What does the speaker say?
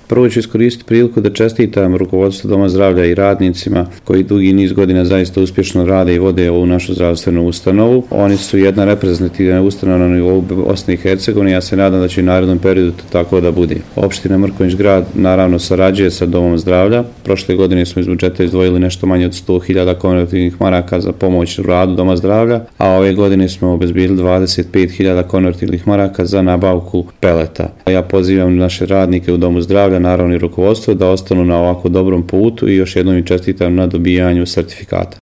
Prvo ću iskoristiti priliku da čestitam rukovodstvu Doma zdravlja i radnicima koji dugi niz godina zaista uspješno rade i vode ovu našu zdravstvenu ustanovu. Oni su jedna reprezentativna ustanova na nivou Bosne i Hercegovine. Ja se nadam da će u narednom periodu tako da bude. Opština Mrkonjić Grad naravno sarađuje sa Domom zdravlja. Prošle godine smo iz budžeta izdvojili nešto manje od 100.000 konvertibilnih maraka za pomoć u radu Doma zdravlja, a ove godine smo obezbijedili 25.000 konvertibilnih maraka za nabavku peleta. Ja pozivam naše radnike u Domu zdravlja, naravno i rukovodstvo, da ostanu na ovako dobrom putu i još jednom im čestitam na dobijanju sertifikata.